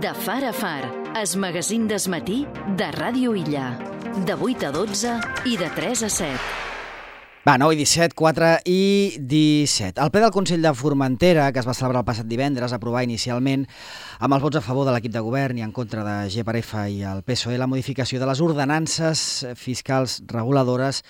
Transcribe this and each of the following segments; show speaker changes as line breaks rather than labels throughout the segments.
De far a far, es magazín d'esmatí de Ràdio Illa. De 8 a 12 i de 3 a 7.
Va, 9 i 17, 4 i 17. El ple del Consell de Formentera, que es va celebrar el passat divendres, aprovà inicialment, amb els vots a favor de l'equip de govern i en contra de GPRF i el PSOE, la modificació de les ordenances fiscals reguladores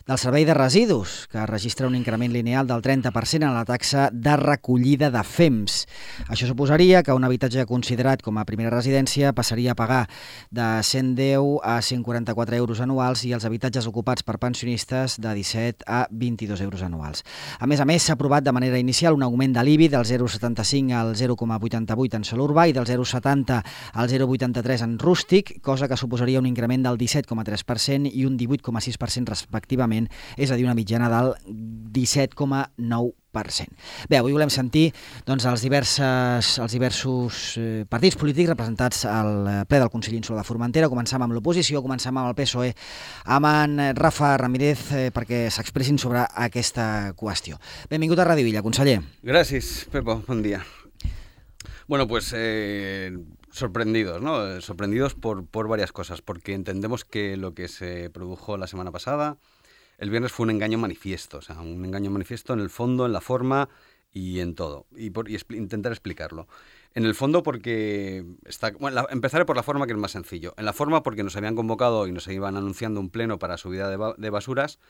del servei de residus, que registra un increment lineal del 30% en la taxa de recollida de FEMS. Això suposaria que un habitatge considerat com a primera residència passaria a pagar de 110 a 144 euros anuals i els habitatges ocupats per pensionistes de 17 a 22 euros anuals. A més, s'ha aprovat de manera inicial un augment de l'IBI del 0,75 al 0,88 en sòl urbà i del 0,70 al 0,83 en rústic, cosa que suposaria un increment del 17,3% i un 18,6% respectivament, és a dir, una mitjana del 17,9%. Bé, avui volem sentir els diversos partits polítics representats al ple del Consell Insular de Formentera. Començam amb l'oposició, començam amb el PSOE, amb en Rafa Ramírez, perquè s'expressin sobre aquesta qüestió. Benvingut a Ràdio Illa, conseller.
Gràcies, Pepo, bon dia. Bueno, pues sorprendidos, ¿no? Sorprendidos por varias cosas, porque entendemos que lo que se produjo la semana pasada, el viernes, fue un engaño manifiesto, o sea, un engaño manifiesto en el fondo, en la forma y en todo. Y intentar explicarlo. En el fondo porque empezaré por la forma, que es más sencillo. En la forma porque nos habían convocado y nos iban anunciando un pleno para subida de basuras.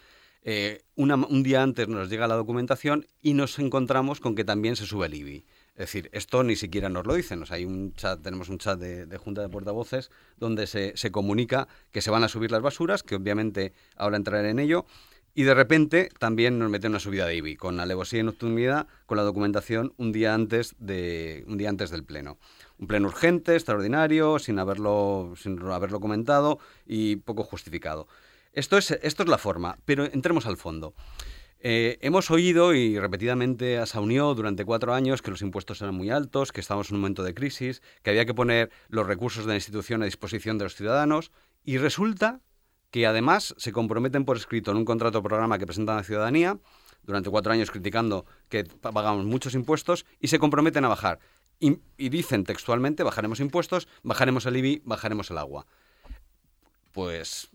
Un día antes nos llega la documentación y nos encontramos con que también se sube el IBI. Es decir, esto ni siquiera nos lo dicen. O sea, tenemos un chat de Junta de Portavoces donde se comunica que se van a subir las basuras, que obviamente ahora entraré en ello, y de repente también nos meten una subida de IBI, con alevosía y nocturnidad, con la documentación un día antes del pleno. Un pleno urgente, extraordinario, sin haberlo comentado y poco justificado. Esto es la forma, pero entremos al fondo. Hemos oído y repetidamente a Saunió durante 4 años que los impuestos eran muy altos, que estábamos en un momento de crisis, que había que poner los recursos de la institución a disposición de los ciudadanos, y resulta que además se comprometen por escrito en un contrato programa que presentan a la ciudadanía, durante 4 años criticando que pagamos muchos impuestos, y se comprometen a bajar. Y dicen textualmente: bajaremos impuestos, bajaremos el IBI, bajaremos el agua. Pues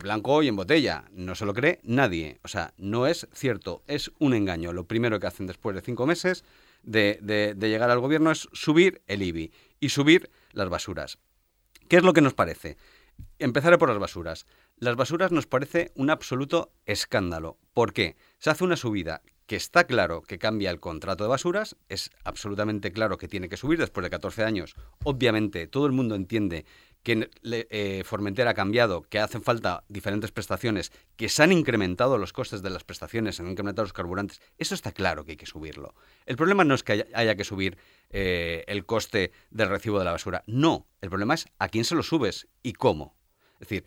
blanco y en botella, no se lo cree nadie. O sea, no es cierto, es un engaño. Lo primero que hacen después de 5 meses de llegar al gobierno es subir el IBI y subir las basuras. ¿Qué es lo que nos parece? Empezaré por las basuras. Las basuras nos parece un absoluto escándalo. ¿Por qué? Se hace una subida que está claro que cambia el contrato de basuras, es absolutamente claro que tiene que subir después de 14 años. Obviamente, todo el mundo entiende que Formentera ha cambiado, que hacen falta diferentes prestaciones, que se han incrementado los costes de las prestaciones, se han incrementado los carburantes. Eso está claro que hay que subirlo. El problema no es que haya que subir el coste del recibo de la basura. No, el problema es a quién se lo subes y cómo. Es decir,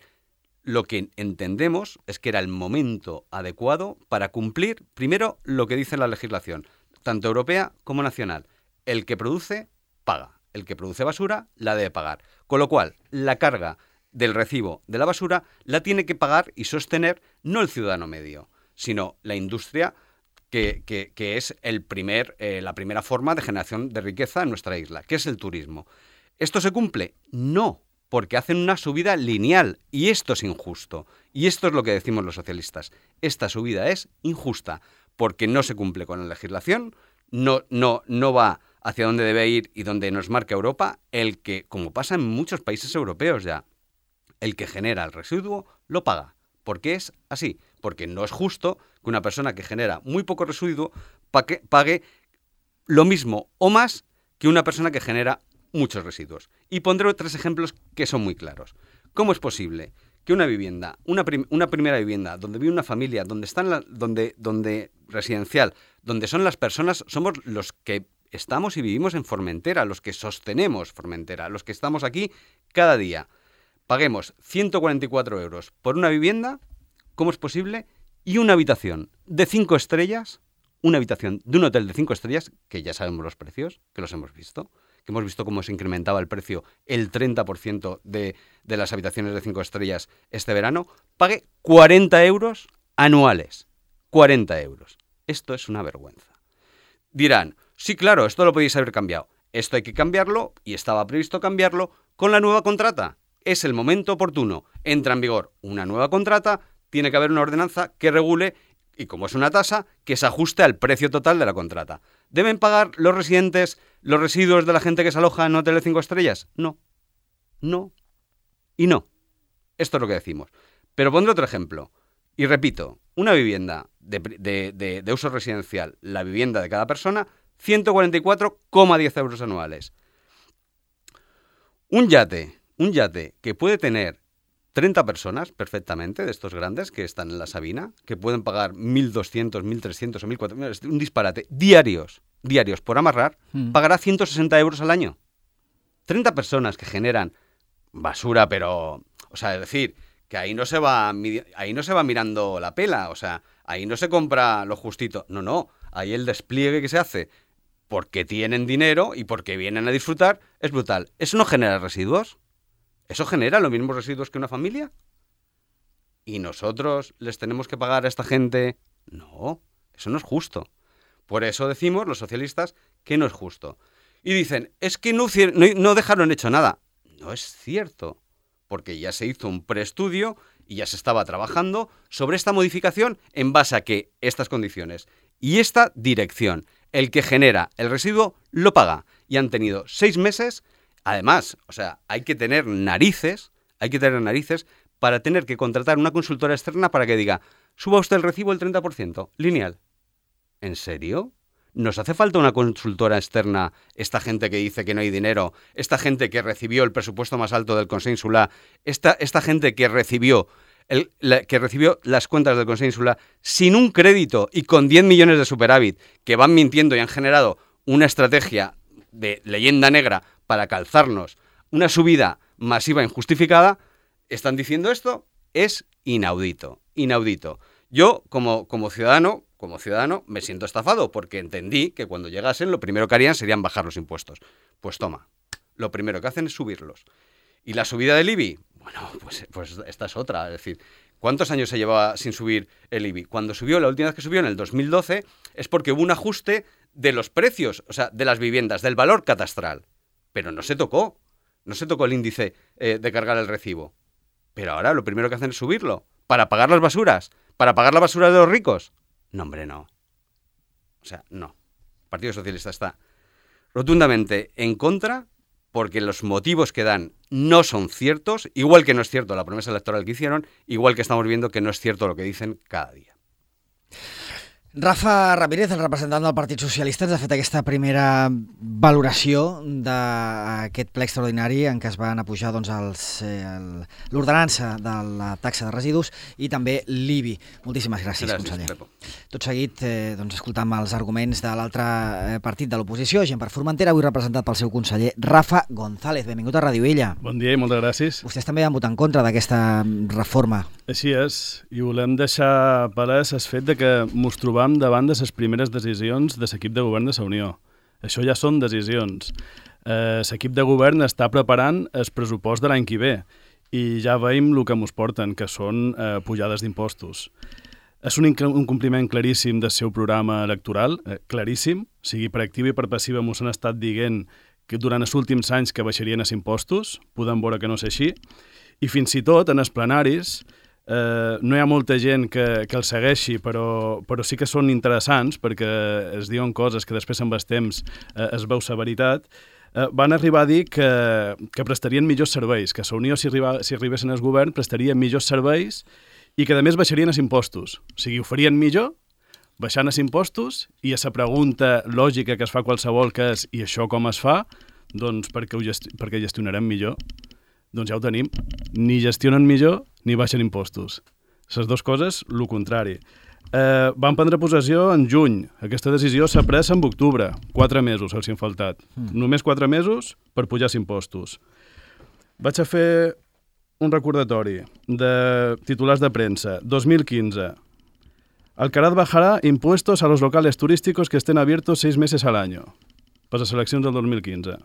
lo que entendemos es que era el momento adecuado para cumplir, primero, lo que dice la legislación, tanto europea como nacional. El que produce, paga. El que produce basura la debe pagar. Con lo cual, la carga del recibo de la basura la tiene que pagar y sostener no el ciudadano medio, sino la industria que es la primera forma de generación de riqueza en nuestra isla, que es el turismo. ¿Esto se cumple? No, porque hacen una subida lineal y esto es injusto. Y esto es lo que decimos los socialistas. Esta subida es injusta porque no se cumple con la legislación, no va hacia dónde debe ir y donde nos marca Europa, el que, como pasa en muchos países europeos ya, el que genera el residuo lo paga. ¿Por qué es así? Porque no es justo que una persona que genera muy poco residuo pague lo mismo o más que una persona que genera muchos residuos. Y pondré 3 ejemplos que son muy claros. ¿Cómo es posible que una vivienda, una primera vivienda, donde vive una familia, donde residencial, donde son las personas, somos los que estamos y vivimos en Formentera, los que sostenemos Formentera, los que estamos aquí cada día, paguemos 144 euros por una vivienda? ¿Cómo es posible? Y una habitación de 5 estrellas, una habitación de un hotel de 5 estrellas, que ya sabemos los precios, que los hemos visto, que hemos visto cómo se incrementaba el precio el 30% de las habitaciones de 5 estrellas este verano, pague 40 euros anuales. 40 euros. Esto es una vergüenza. Dirán: sí, claro, esto lo podéis haber cambiado. Esto hay que cambiarlo, y estaba previsto cambiarlo con la nueva contrata. Es el momento oportuno. Entra en vigor una nueva contrata, tiene que haber una ordenanza que regule, y como es una tasa, que se ajuste al precio total de la contrata. ¿Deben pagar los residentes los residuos de la gente que se aloja en hoteles 5 estrellas? No. No. Y no. Esto es lo que decimos. Pero pondré otro ejemplo. Y repito, una vivienda de uso residencial, la vivienda de cada persona, 144,10 euros anuales. Un yate que puede tener 30 personas perfectamente, de estos grandes que están en la Sabina, que pueden pagar 1.200, 1.300 o 1.400, un disparate, diarios por amarrar, pagará 160 euros al año. 30 personas que generan basura, pero, o sea, es decir, que ahí no se va mirando la pela, o sea, ahí no se compra lo justito, no, ahí el despliegue que se hace porque tienen dinero y porque vienen a disfrutar es brutal. ¿Eso no genera residuos? ¿Eso genera los mismos residuos que una familia? ¿Y nosotros les tenemos que pagar a esta gente? No, eso no es justo. Por eso decimos los socialistas que no es justo. Y dicen, es que no dejaron hecho nada. No es cierto, porque ya se hizo un preestudio y ya se estaba trabajando sobre esta modificación en base a que estas condiciones y esta dirección, el que genera el residuo lo paga. Y han tenido 6 meses. Además, o sea, hay que tener narices para tener que contratar una consultora externa para que diga, suba usted el recibo el 30%, lineal. ¿En serio? ¿Nos hace falta una consultora externa, esta gente que dice que no hay dinero, esta gente que recibió el presupuesto más alto del Consell Insular, esta gente que recibió las cuentas del Consell Insular sin un crédito y con 10 millones de superávit, que van mintiendo y han generado una estrategia de leyenda negra para calzarnos una subida masiva injustificada? ¿Están diciendo esto? Es inaudito. Yo, como ciudadano, me siento estafado porque entendí que cuando llegasen lo primero que harían serían bajar los impuestos. Pues toma, lo primero que hacen es subirlos. ¿Y la subida del IBI? Bueno, pues esta es otra. Es decir, ¿cuántos años se llevaba sin subir el IBI? La última vez que subió, en el 2012, es porque hubo un ajuste de los precios, o sea, de las viviendas, del valor catastral. Pero no se tocó el índice de cargar el recibo. Pero ahora lo primero que hacen es subirlo. ¿Para pagar las basuras? ¿Para pagar la basura de los ricos? No, hombre, no. O sea, no. El Partido Socialista está rotundamente en contra porque los motivos que dan no son ciertos, igual que no es cierto la promesa electoral que hicieron, igual que estamos viendo que no es cierto lo que dicen cada día.
Rafa Ramírez, el representant del Partit Socialista, ens ha fet aquesta primera valoració d'aquest ple extraordinari en què es van apujar l'ordenança de la taxa de residus i també l'IBI. Moltíssimes gràcies, conseller.
Pepo.
Tot seguit escoltam els arguments de l'altre partit de l'oposició, Gent per Formentera, avui representat pel seu conseller Rafa González. Benvingut a Ràdio Illa.
Bon dia i moltes gràcies.
Vostès també van votar en contra d'aquesta reforma.
Així és, i volem deixar palès el fet de que mos trobam davant de les primeres decisions de l'equip de govern de la Unió. Això ja són decisions. L'equip de govern està preparant el pressupost de l'any que ve i ja veiem el que mos porten, que són pujades d'impostos. És un incompliment claríssim del seu programa electoral, claríssim, sigui per activa i per passiva mos han estat dient que durant els últims anys que baixarien els impostos, podem veure que no és així, i fins i tot en els plenaris no hi ha molta gent que el segueixi, però sí que són interessants perquè es diuen coses que després amb el temps es veu la veritat. Van arribar a dir que prestarien millors serveis, que la Unió, si arribessin al govern, prestaria millors serveis i que a més baixarien els impostos. O sigui, ho farien millor, baixant els impostos, i a la pregunta lògica que es fa qualsevol, que és i això com es fa? Doncs perquè gestionarem millor. Doncs ja ho tenim. Ni gestionen millor ni baixen impostos. Les dues coses, el contrari. Van prendre possessió en juny. Aquesta decisió s'ha pres en octubre. 4 mesos els han faltat. Només 4 mesos per pujar els impostos. Vaig a fer un recordatori de titulars de premsa. 2015. Alcaraz bajará impuestos a los locales turísticos que estén abiertos 6 meses al año. Per les eleccions del 2015.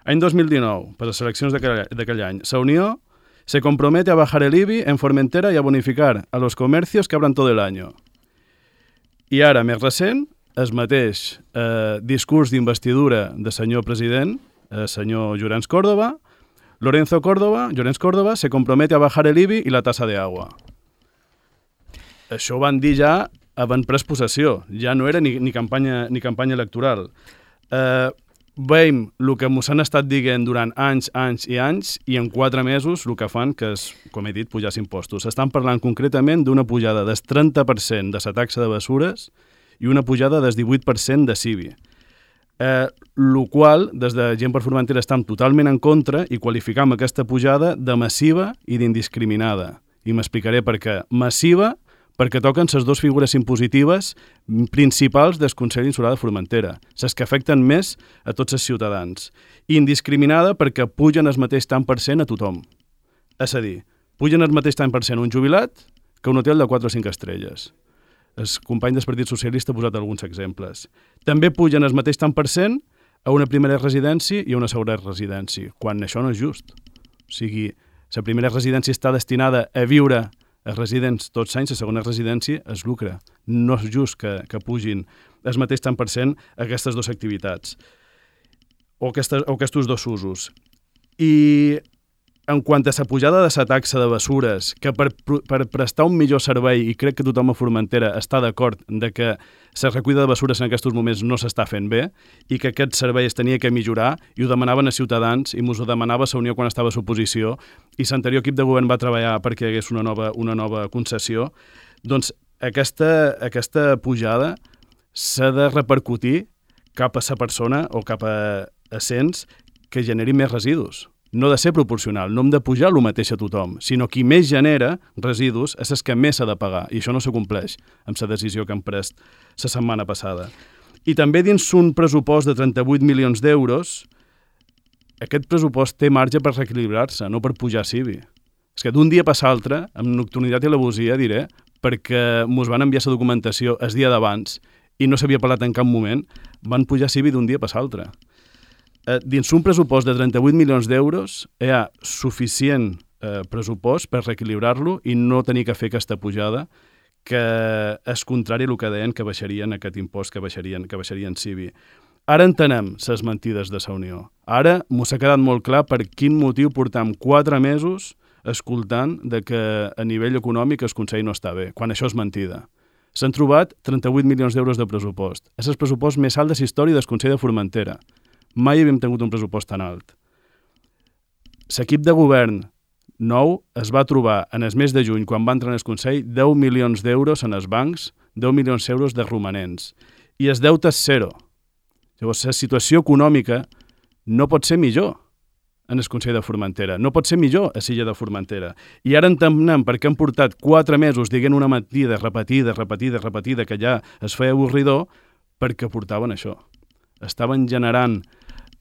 Any 2019, per les eleccions d'aquell any, la Unió se compromete a bajar el IBI en Formentera y a bonificar a los comercios que abran todo el año. I ara, més recent, el mateix discurs d'investidura de senyor president, senyor Llorenç Córdoba. Llorenç Córdoba se compromete a bajar el IBI i la tasa de agua. Això ho van dir ja abans pres possessió, ja no era ni campanya electoral. Veiem el que ens han estat dient durant anys i en 4 mesos el que fan, que és, com he dit, pujar els impostos. Estan parlant concretament d'una pujada del 30% de la taxa de bessures i una pujada del 18% de CIBI. El qual, des de Gent per Formentera, estem totalment en contra i qualificam aquesta pujada de massiva i d'indiscriminada. I m'explicaré per què. Massiva, perquè toquen les 2 figures impositives principals del Consell Insular de Formentera, les que afecten més a tots els ciutadans. I indiscriminada perquè pugen el mateix tant per cent a tothom. És a dir, pugen el mateix tant per cent un jubilat que un hotel de 4 o 5 estrelles. El company del Partit Socialista ha posat alguns exemples. També pugen el mateix tant per cent a una primera residència i a una segona residència, quan això no és just. O sigui, la primera residència està destinada a viure els residents tots anys, la segona residència es lucra. No és just que pugin el mateix tant per cent aquestes 2 activitats o aquests 2 usos. I en quant a la pujada de la taxa de bessures, que per prestar un millor servei, i crec que tothom a Formentera està d'acord de que la recollida de bessures en aquests moments no s'està fent bé i que aquest servei es tenia que millorar, i ho demanaven a Ciutadans, i ens ho demanava la Unió quan estava a l'oposició, i l'anterior equip de govern va treballar perquè hi hagués una nova concessió. Doncs aquesta pujada s'ha de repercutir cap a la persona o cap a cents que generi més residus. No ha de ser proporcional, no hem de pujar el mateix a tothom, sinó qui més genera residus és el que més s'ha de pagar, i això no s'acompleix amb la decisió que han pres la setmana passada. I també dins un pressupost de 38 milions d'euros, aquest pressupost té marge per reequilibrar-se, no per pujar CIBI. És que d'un dia per l'altre, amb nocturnitat i alevosia, diré, perquè ens van enviar la documentació el dia d'abans i no s'havia parlat en cap moment, van pujar CIBI d'un dia per l'altre. Dins un pressupost de 38 milions d'euros hi ha suficient pressupost per reequilibrar-lo i no tenir que fer aquesta pujada, que és contrari al que deien que baixarien aquest impost, que baixarien CIBI. Ara entenem les mentides de la Unió. Ara m'ho ha quedat molt clar per quin motiu portam 4 mesos escoltant de que a nivell econòmic el Consell no està bé, quan això és mentida. S'han trobat 38 milions d'euros de pressupost. És el pressupost més alt de la història del Consell de Formentera. Mai havíem tingut un pressupost tan alt. L'equip de govern nou es va trobar en el mes de juny, quan va entrar en el Consell, 10 milions d'euros en els bancs, 10 milions d'euros de romanents. I el deute és 0. Llavors, la situació econòmica no pot ser millor en el Consell de Formentera. No pot ser millor a l'illa de Formentera. I ara entenem per què han portat 4 mesos dient una mentida repetida, que ja es feia avorridor, perquè portaven això. Estaven generant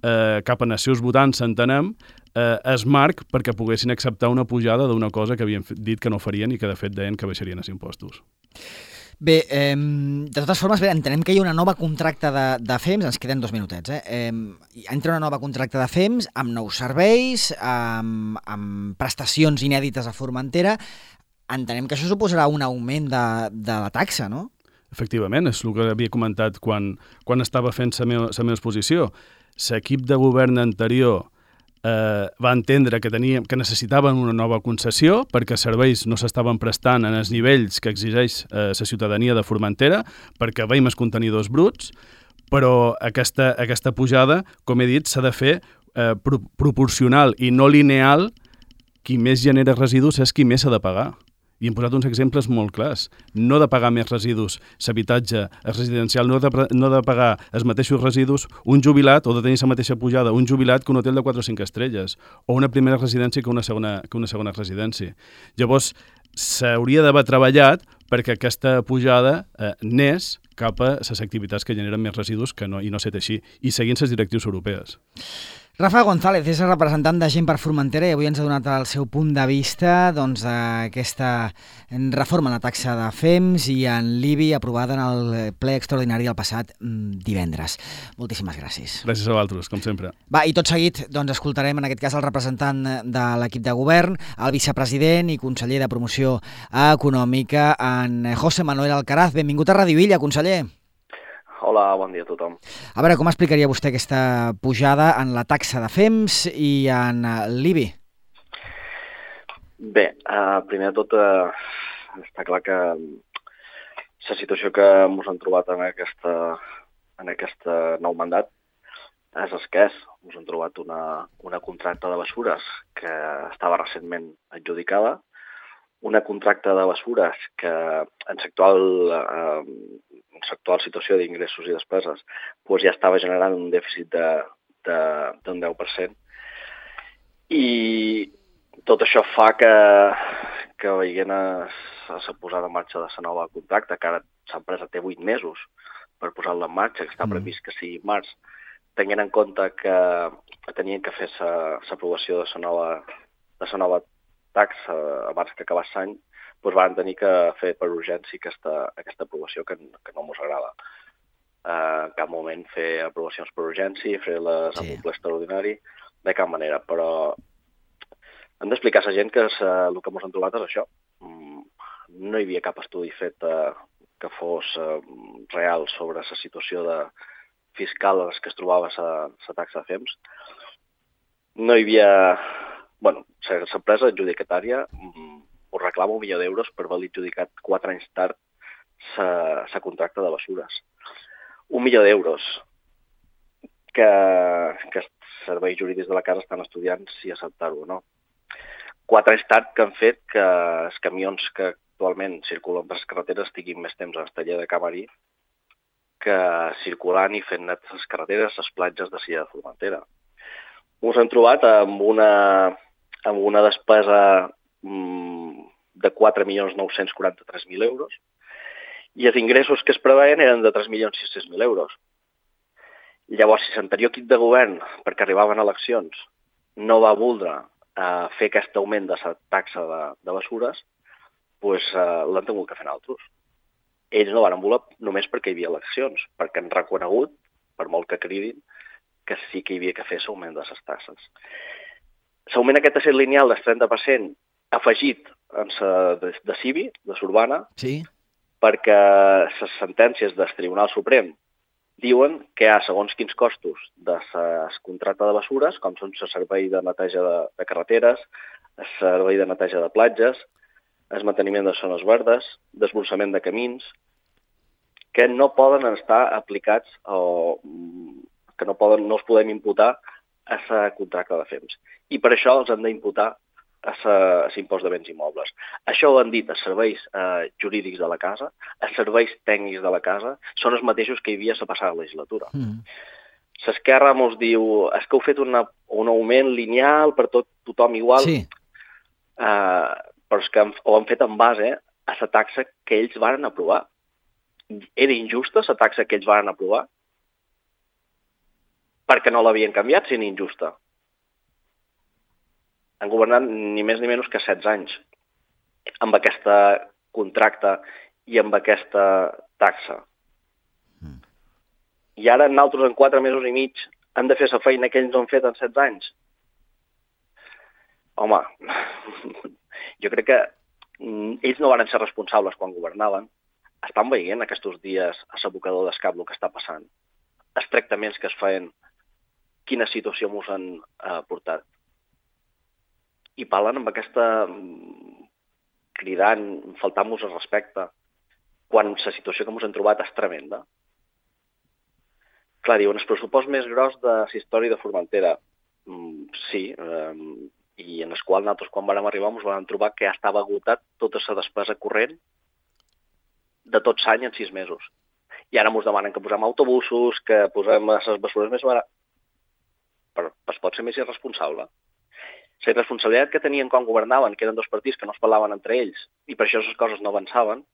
cap a els seus votants, entenem, es marc perquè poguessin acceptar una pujada d'una cosa que havien dit que no farien i que de fet deien que baixarien els impostos.
Bé, de totes formes, entenem que hi ha una nova contracte de FEMS, ens queden 2 minutets, entra una nova contracte de FEMS amb nous serveis, amb prestacions inèdites a Formentera. Entenem que això suposarà un augment de la taxa, no?
Efectivament, és el que havia comentat quan estava fent la meva exposició. L'equip de govern anterior va entendre que necessitaven una nova concessió perquè els serveis no s'estaven prestant en els nivells que exigeix la ciutadania de Formentera, perquè veiem els contenidors bruts, però aquesta pujada, com he dit, s'ha de fer proporcional i no lineal. Qui més genera residus és qui més s'ha de pagar. I hem posat uns exemples molt clars. No de pagar més residus l'habitatge residencial, no de pagar els mateixos residus un jubilat, o de tenir la mateixa pujada, un jubilat que un hotel de 4 o 5 estrelles, o una primera residència que una segona residència. Llavors, s'hauria d'haver treballat perquè aquesta pujada anés cap a les activitats que generen més residus i no ser així, i seguint les directrius europees.
Rafa González és el representant de Gent per Formentera i avui ens ha donat el seu punt de vista d'aquesta reforma en la taxa de FEMS i en l'IBI aprovada en el ple extraordinari del passat divendres. Moltíssimes gràcies.
Gràcies a vosaltres, com sempre.
Va, i tot seguit escoltarem en aquest cas el representant de l'equip de govern, el vicepresident i conseller de Promoció Econòmica, en José Manuel Alcaraz. Benvingut a Ràdio Illa, conseller.
Hola, bon dia a tothom.
A veure, com explicaria vostè aquesta pujada en la taxa de FEMS i en l'IBI?
Bé, primer de tot, està clar que la situació que ens hem trobat en aquest nou mandat és escàs. Ens hem trobat una contracta de bessures que estava recentment adjudicada, una contracta de bessures que en l'actual situació d'ingressos i despeses doncs ja estava generant un dèficit d'un 10%. I tot això fa que veient la posada en marxa de la nova contracta, que ara l'empresa té 8 mesos per posar-la en marxa, que està previst que sigui març, tenint en compte que tenien que fer l'aprovació de la nova taxa abans que acabés l'any, doncs van tenir que fer per urgència aquesta aprovació que no ens agrada. En cap moment fer aprovacions per urgència, fer-les amb un ple extraordinari, de cap manera, però hem d'explicar a la gent que el que ens hem trobat és això. No hi havia cap estudi fet que fos real sobre la situació fiscal en què es trobava la taxa de FEMS. No hi havia... L'empresa adjudicatària us reclama 1 milió d'euros per haver adjudicat 4 anys tard la contracta de bessures. 1 milió d'euros que els serveis jurídics de la casa estan estudiant si acceptar-ho o no. 4 anys tard que han fet que els camions que actualment circulen per les carreteres estiguin més temps en el taller de Camarí que circulant i fent net les carreteres, les platges de Silla de Formentera. Ens hem trobat amb una despesa de 4.943.000 euros i els ingressos que es preveien eren de 3.600.000 euros. Llavors, si l'anterior equip de govern, perquè arribaven eleccions, no va voldre fer aquest augment de la taxa de bessures, doncs l'han tingut que fer altres. Ells no van voler només perquè hi havia eleccions, perquè han reconegut, per molt que cridin, que sí que hi havia que fer l'augment de les taxes. L'augment aquest ha estat lineal del 30% afegit en la de CIVI, de l'Urbana, perquè les sentències del Tribunal Suprem diuen que hi ha segons quins costos de la contracta de bessures, com són el servei de neteja de carreteres, el servei de neteja de platges, el manteniment de zones verdes, desbrossament de camins, que no poden estar aplicats o que no els podem imputar a la contracta de FEMS. I per això els hem d'imputar a l'impost de béns immobles. Això ho han dit els serveis jurídics de la casa, els serveis tècnics de la casa, són els mateixos que hi havia a la passada legislatura. L'Esquerra ens diu que heu fet un augment lineal per tothom igual, però és que ho han fet en base a la taxa que ells van aprovar. Era injusta la taxa que ells van aprovar? Perquè no l'havien canviat, si era injusta. Han governat ni més ni menys que 16 anys amb aquesta contracta i amb aquesta taxa. I ara nosaltres en 4 mesos i mig hem de fer la feina que ells no han fet en 16 anys. Home, jo crec que ells no van ser responsables quan governaven. Estan veient aquests dies a l'abocador d'escap el que està passant. Els tractaments que es feien, quina situació ens han portat. I parlen amb aquesta cridant, faltant-nos el respecte, quan la situació que ens hem trobat és tremenda. Clar, diuen, el pressupost més gros de la història de Formentera. Sí, i en el qual nosaltres quan vam arribar ens vam trobar que ja estava agotat tota la despesa corrent de tot l'any en 6 mesos. I ara ens demanen que posem autobusos, que posem les bessures més barates. Però es pot ser més irresponsable. La irresponsabilitat que tenien quan governaven, que eren 2 partits que no es parlaven entre ells, i per això les coses no avançaven,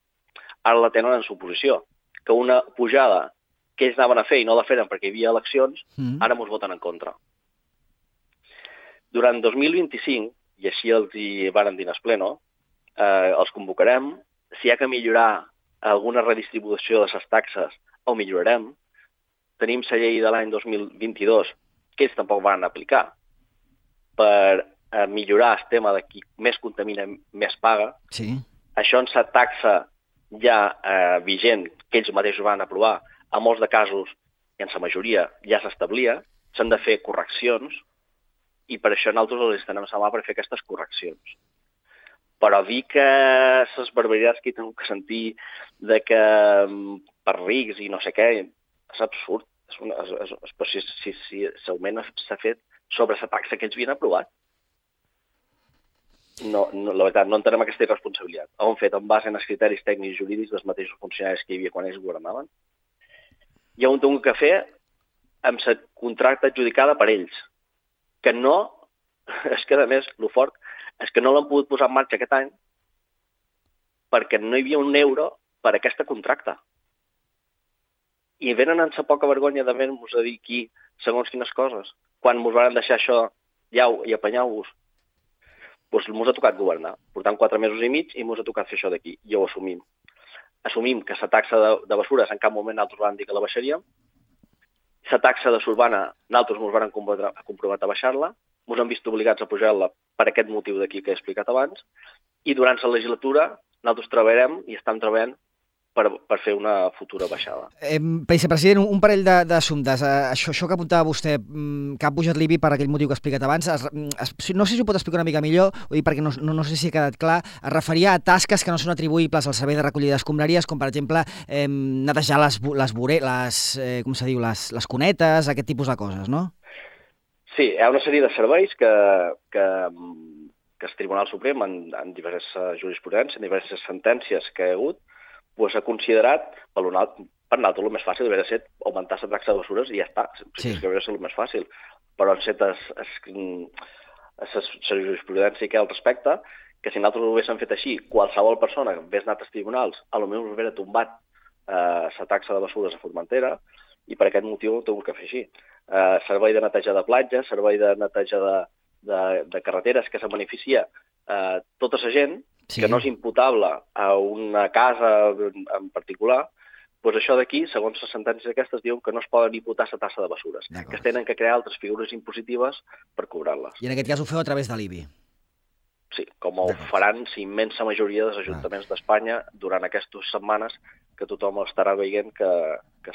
ara la tenen en suposició. Que una pujada que ells anaven a fer i no la feren perquè hi havia eleccions, ara ens voten en contra. Durant 2025, i així els hi varen dir en el pleno, els convocarem, si hi ha que millorar alguna redistribució de les taxes, ho millorarem. Tenim la llei de l'any 2022, que ells tampoc van aplicar, per millorar el tema de qui més contamina més paga.
Sí.
Això en la taxa ja vigent, que ells mateixos van aprovar, a molts de casos, i en la majoria ja s'establia, s'han de fer correccions i per això nosaltres els estenem la mà per fer aquestes correccions. Però dir que les barbaritats que he tingut que sentir de que per rics i no sé què, és absurd. Si l'augment s'ha fet sobre la taxa que ells havien aprovat. No, la veritat, no entenem aquesta irresponsabilitat. Ho han fet en base als criteris tècnics i jurídics dels mateixos funcionaris que hi havia quan ells governaven. I ho han tingut que fer amb la contracta adjudicada per ells. Que no, és que a més, el fort, és que no l'han pogut posar en marxa aquest any perquè no hi havia un euro per a aquesta contracta. I venen amb la poca vergonya de venir-nos a dir aquí segons quines coses. Quan ens van deixar això, iau, i apanyau-vos, doncs ens ha tocat governar. Portant 4 mesos i mig i ens ha tocat fer això d'aquí. I ho assumim. Assumim que la taxa de bessures en cap moment nosaltres vam dir que la baixaríem. La taxa de Surbana nosaltres ens vam comprovar a baixar-la. Ens hem vist obligats a pujar-la per aquest motiu d'aquí que he explicat abans. I durant la legislatura nosaltres treballarem i estem treballant per fer una futura baixada.
Vicepresident, un parell d'assumptes. Això que apuntava vostè, que ha pujat l'IBI per aquell motiu que ha explicat abans, no sé si ho pot explicar una mica millor, perquè no sé si ha quedat clar, es referia a tasques que no són atribuïbles al servei de recollida d'escombraries, com per exemple netejar les cunetes, aquest tipus de coses, no?
Sí, hi ha una sèrie de serveis que el Tribunal Suprem, en diverses jurisprudències, en diverses sentències que hi ha hagut, doncs ha considerat, per nosaltres el més fàcil hauria ser augmentar la taxa de bessures i ja està. Sí. És que hauria ser el més fàcil. Però han set la jurisprudència que hi ha al respecte, que si nosaltres ho haguéssim fet així, qualsevol persona que hagués anat als tribunals, potser us hauria tombat la taxa de bessures a Formentera, i per aquest motiu ho hem de fer així. Servei de neteja de platges, servei de neteja de carreteres, que se beneficia tota la gent, sí, que no és imputable a una casa en particular, doncs això d'aquí, segons les sentències aquestes, diuen que no es poden imputar la taxa de bessures, que es tenen que crear altres figures impositives per cobrar-les.
I en aquest cas ho feu a través de l'IBI?
Sí, com ho faran la immensa majoria dels ajuntaments d'Espanya durant aquestes setmanes que tothom estarà veient que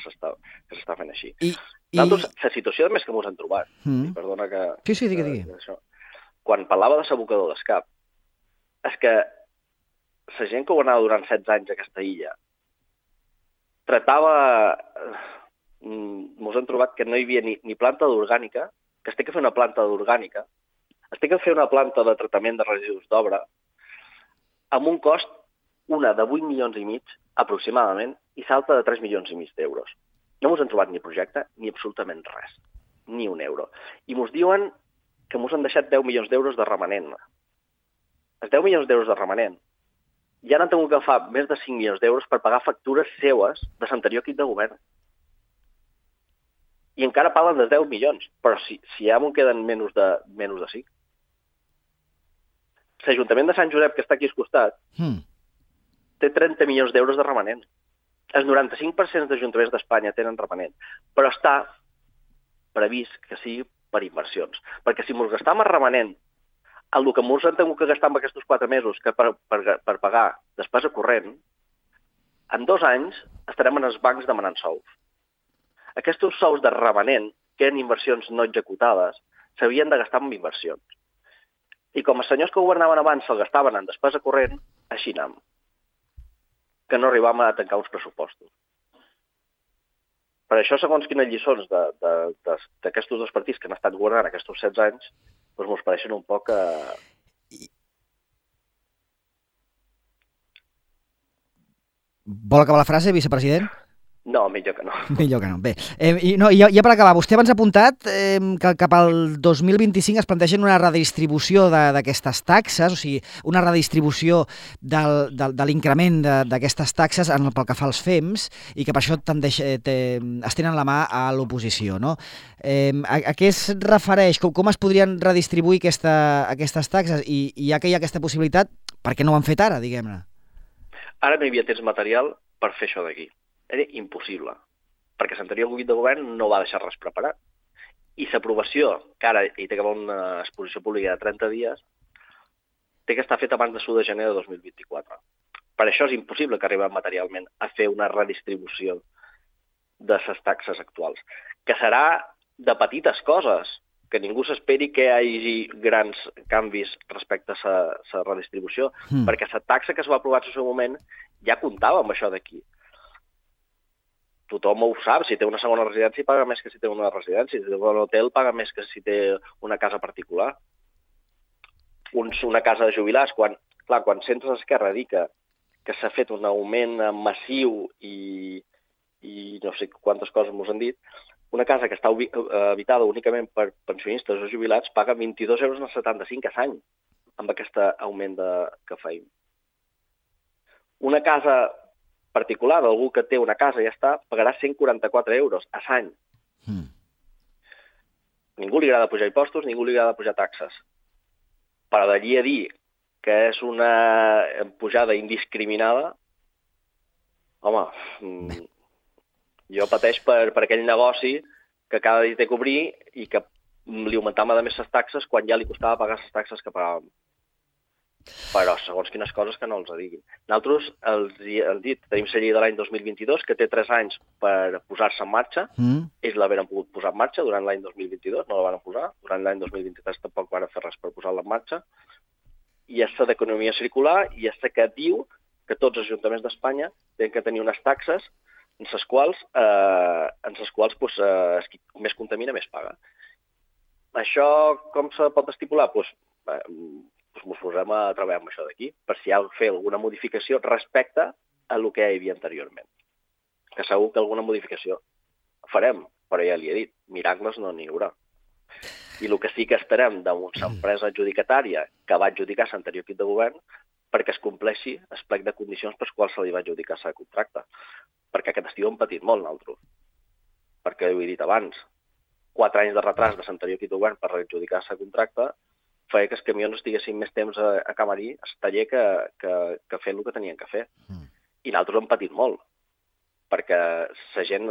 s'està fent així. Nosaltres, la situació més que ens hem trobat, perdona que...
Sí, digui.
Quan parlava de l'abocador d'Escap, és que la gent que governava durant 16 anys a aquesta illa tratava... Ens hem trobat que no hi havia ni planta d'orgànica, que es té que fer una planta d'orgànica, es té que fer una planta de tractament de residus d'obra amb un cost, una de 8 milions i mig, aproximadament, i l'altra de 3 milions i mig d'euros. No ens hem trobat ni projecte ni absolutament res, ni un euro. I ens diuen que ens han deixat 10 milions d'euros de remanent. Els 10 milions d'euros de remanent ja n'han tingut que agafar més de 5 milions d'euros per pagar factures seues de l'anterior equip de govern. I encara parlen dels 10 milions, però si ja m'ho queden menys de 5. L'Ajuntament de Sant Josep, que està aquí al costat, té 30 milions d'euros de remanent. El 95% d'ajuntaments d'Espanya tenen remanent, però està previst que sigui per inversions. Perquè si ens gastam el remanent el que ens hem tingut que gastar en aquests 4 mesos que per pagar despesa corrent, en 2 anys estarem en els bancs demanant sous. Aquests sous de remanent, que eren inversions no executades, s'havien de gastar en inversions. I com els senyors que governaven abans se'l gastaven en despesa corrent, així anem. Que no arribàvem a tancar uns pressupostos. Per això, segons quines lliçons d'aquests 2 partits que han estat governant aquests 16 anys, doncs ens pareixen un poc...
Vol acabar la frase, vicepresident?
No, millor que no.
Millor que no. Bé, ja per acabar, vostè abans ha apuntat que cap al 2025 es plantegen una redistribució d'aquestes taxes, o sigui, una redistribució de l'increment d'aquestes taxes pel que fa als FEMS i que per això es tenen la mà a l'oposició, no? A què es refereix? Com es podrien redistribuir aquestes taxes? I ja que hi ha aquesta possibilitat, per què no ho han fet ara, diguem-ne?
Ara no hi havia temps material per fer això d'aquí. Era impossible, perquè l'anterior equip de govern no va deixar res preparat. I l'aprovació, que ara hi té que haver una exposició pública de 30 dies, té que estar feta abans de l'1 de gener de 2024. Per això és impossible que arribem materialment a fer una redistribució de les taxes actuals, que serà de petites coses, que ningú s'esperi que hi hagi grans canvis respecte a la redistribució, perquè la taxa que es va aprovar en el seu moment ja comptava amb això d'aquí. Tothom ho sap, si té una segona residència paga més que si té una residència, si té un hotel paga més que si té una casa particular. Una casa de jubilats, quan sents l'Esquerra dir que s'ha fet un augment massiu i no sé quantes coses m'ho han dit, una casa que està habitada únicament per pensionistes o jubilats paga 22,75 € a l'any amb aquest augment que feim. Una casa particular d'algú que té una casa i ja està, pagarà 144 € a l'any. Ningú li agrada pujar impostos, ningú li agrada pujar taxes. Però d'allí a dir que és una pujada indiscriminada, home, jo pateix per aquell negoci que cada dia té que obrir i que li augmentàvem a més les taxes quan ja li costava pagar les taxes que pagàvem. Però segons quines coses que no els diguin. Nosaltres els hem dit, tenim la llei de l'any 2022 que té 3 anys per posar-se en marxa. Ells l'haveren pogut posar en marxa durant l'any 2022, no la van posar. Durant l'any 2023 tampoc van fer res per posar-la en marxa. I és la d'economia circular i és la que diu que tots els ajuntaments d'Espanya tenen que tenir unes taxes en les quals qui més contamina més paga. Això com se pot estipular? Ens posem a treballar amb això d'aquí, per si hi ha de fer alguna modificació respecte a el que hi havia anteriorment. Que segur que alguna modificació farem, però ja li he dit, miracles no n'hi haurà. I el que sí que esperem d'una empresa adjudicatària que va adjudicar l'anterior equip de govern perquè es compleixi el plec de condicions per les quals se li va adjudicar el contracte. Perquè aquest estiu hem patit molt, nosaltres. Perquè ho he dit abans, 4 anys de retras de l'anterior equip de govern per adjudicar el contracte feia que els camions estiguessin més temps a Camarí, al taller, que fent el que tenien que fer. I nosaltres hem patit molt, perquè la gent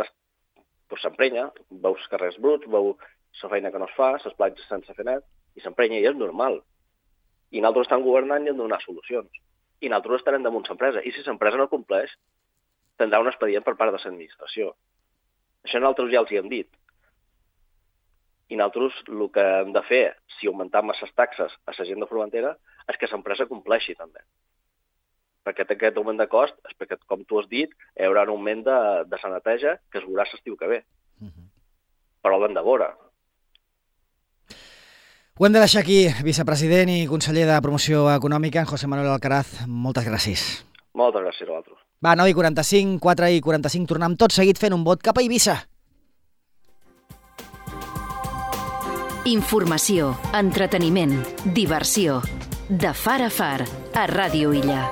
s'emprenya, veu els carrers bruts, veu la feina que no es fa, les platges sense fer net, i s'emprenya, i és normal. I nosaltres estem governant i hem de donar solucions. I nosaltres estarem damunt l'empresa. I si l'empresa no compleix, tindrà un expedient per part de l'administració. Això nosaltres ja els hi hem dit. I nosaltres el que hem de fer, si augmentem les taxes a la gent de Formentera, és que l'empresa compleixi també. Perquè aquest augment de cost, és perquè, com tu has dit, hi haurà un augment de la neteja que es veurà l'estiu que ve. Però l'hem de veure.
Ho hem de deixar aquí, vicepresident i conseller de Promoció Econòmica, en José Manuel Alcaraz. Moltes gràcies.
Moltes gràcies a vosaltres.
Va, 9:45, 4:45, tornem tot seguit fent un vot cap a Eivissa.
Informació, entreteniment, diversió. De far a far, a Ràdio Illa.